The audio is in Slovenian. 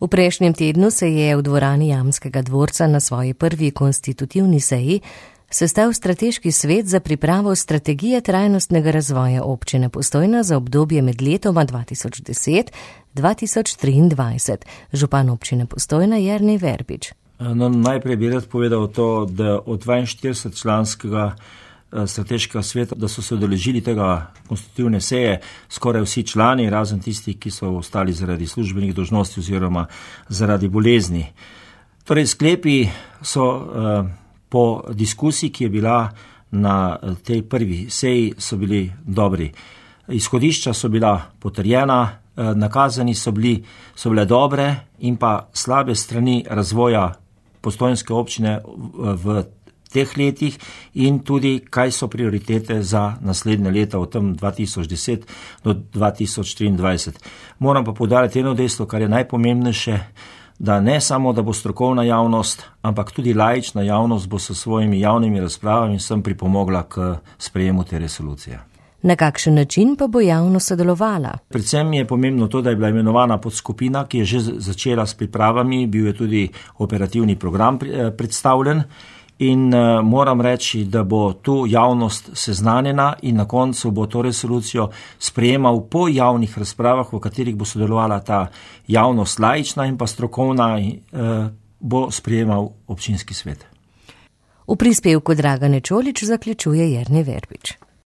V prejšnjem tednu se je v dvorani Jamskega dvorca na svoji prvi konstitutivni seji sestal strateški svet za pripravo strategije trajnostnega razvoja občine Postojna za obdobje med letoma 2010-2023. Župan občine Postojna Jernej Verbič. Najprej bi rad povedal to, da od 42-članskega strateškega sveta, da so se udeležili tega konstitutivne seje skoraj vsi člani, razen tisti, ki so ostali zaradi službenih dolžnosti oziroma zaradi bolezni. Torej, sklepi so po diskusiji, ki je bila na tej prvi seji, so bili dobri. Izhodišča so bila potrjena, nakazani so bile dobre in pa slabe strani razvoja postojnske občine v teh letih in tudi, kaj so prioritete za naslednje leta od tam 2010 do 2023. Moram pa poudariti eno dejstvo, kar je najpomembnejše, da ne samo, da bo strokovna javnost, ampak tudi laična javnost bo s svojimi javnimi razpravami sem pripomogla k sprejemu te resolucije. Na kakšen način pa bo javnost sodelovala? Predvsem je pomembno to, da je bila imenovana podskupina, ki je že začela s pripravami, bil je tudi operativni program predstavljen in moram reči, da bo tu javnost seznanjena in na koncu bo to resolucijo sprejemal po javnih razpravah, v katerih bo sodelovala ta javnost laična in pa strokovna, bo sprejemal občinski svet. V prispevku Dragane Čolić zaključuje Jernej Verbič.